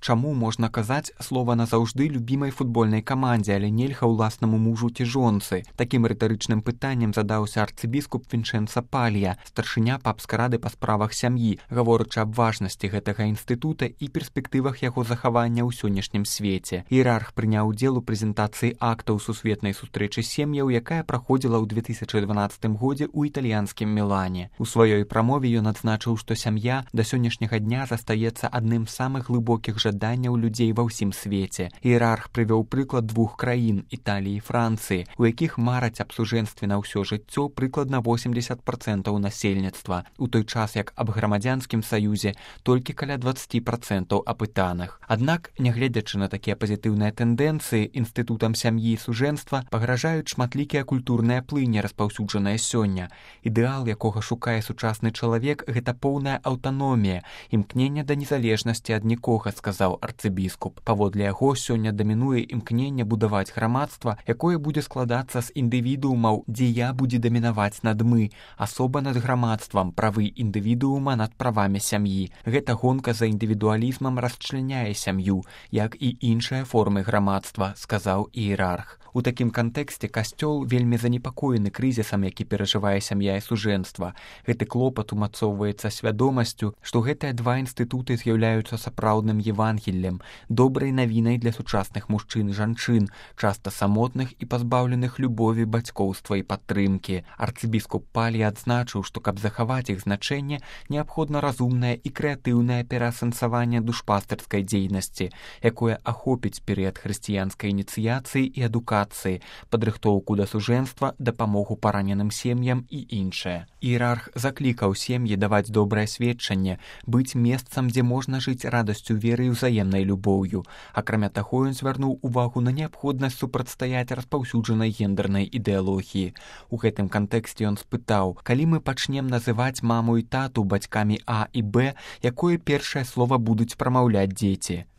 чаму можна казаць слова назаўжды любімай футбольнай камандзе, але нельга ўласнаму мужу ці жонцы. Такім рытарычным пытаннем задаўся арцыбіскуп Вінчэнца Палья, старшыня папскай рады па справах сям'і, гаворачы аб важнасці гэтага інстытута і перспектывах яго захавання ў сённяшнім свеце. Іерарх прыняў удзел у прэзентацыі актаў сусветнай сустрэчы сем'яў, якая праходзіла ў 2012 годзе ў італьянскім Мілане. У сваёй прамове ён адзначыў, што сям'я да сённяшняга дня застаецца адным з самых глыбокіх жаданняў людзей ва ўсім свеце. Іерарх прывёў прыклад двух краін, Італіі і Францыі, у якіх мараць аб сужэнстве на ўсё жыццё прыкладна 80% насельніцтва, у той час як аб грамадзянскім саюзе толькі каля 20% апытаных. Аднак, нягледзячы на такія пазітыўныя тэндэнцыі, інстытутам сям'і і сужэнства пагражаюць шматлікія культурныя плыні, распаўсюджаныя сёння. Ідэал, якога шукае сучасны чалавек, гэта поўная аўтаномія, імкненне да незалежнасці ад нікога, сказаў арцыбіскуп. Паводле яго сёння дамінуе імкненне будаваць грамадства, якое будзе складацца з індывідуумаў, дзе я будзе дамінаваць над мы, асоба над грамадствам, правы індывідуума над правамі сям'і. Гэта гонка за індывідуалізмам расчляняе сям'ю, як і іншыя формы грамадства, сказаў іерарх. У такім кантэксце касцёл вельмі занепакоены крызісам, які перажывае сям'я і сужэнства. Гэты клопат умацоўваецца свядомасцю, што гэтыя два інстытуты з'яўляюцца сапраўдным евангеллем, добрай навінай для сучасных мужчын і жанчын, часта самотных і пазбаўленых любові, бацькоўства і падтрымкі. Арцыбіскуп Палья адзначыў, што каб захаваць іх значэнне, неабходна разумнае і крэатыўнае пераасэнсаванне душпастырскай дзейнасці, якое ахопіць перыяд хрысціянскай ініцыяцыі і адукацыі, падрыхтоўку да сужэнства, дапамогу параненым сем'ям і іншае. Іерарх заклікаў сем'і даваць добрае сведчанне, быць месцам, дзе можна жыць радасцю веры і ўзаемнай любоўю. Акрамя таго, ён звярнуў увагу на неабходнасць супрацьстаяць распаўсюджанай гендернай ідэалогіі. У гэтым кантэксце ён спытаў: калі мы пачнем называць маму і тату бацькамі А і Б, якое першае слова будуць прамаўляць дзеці?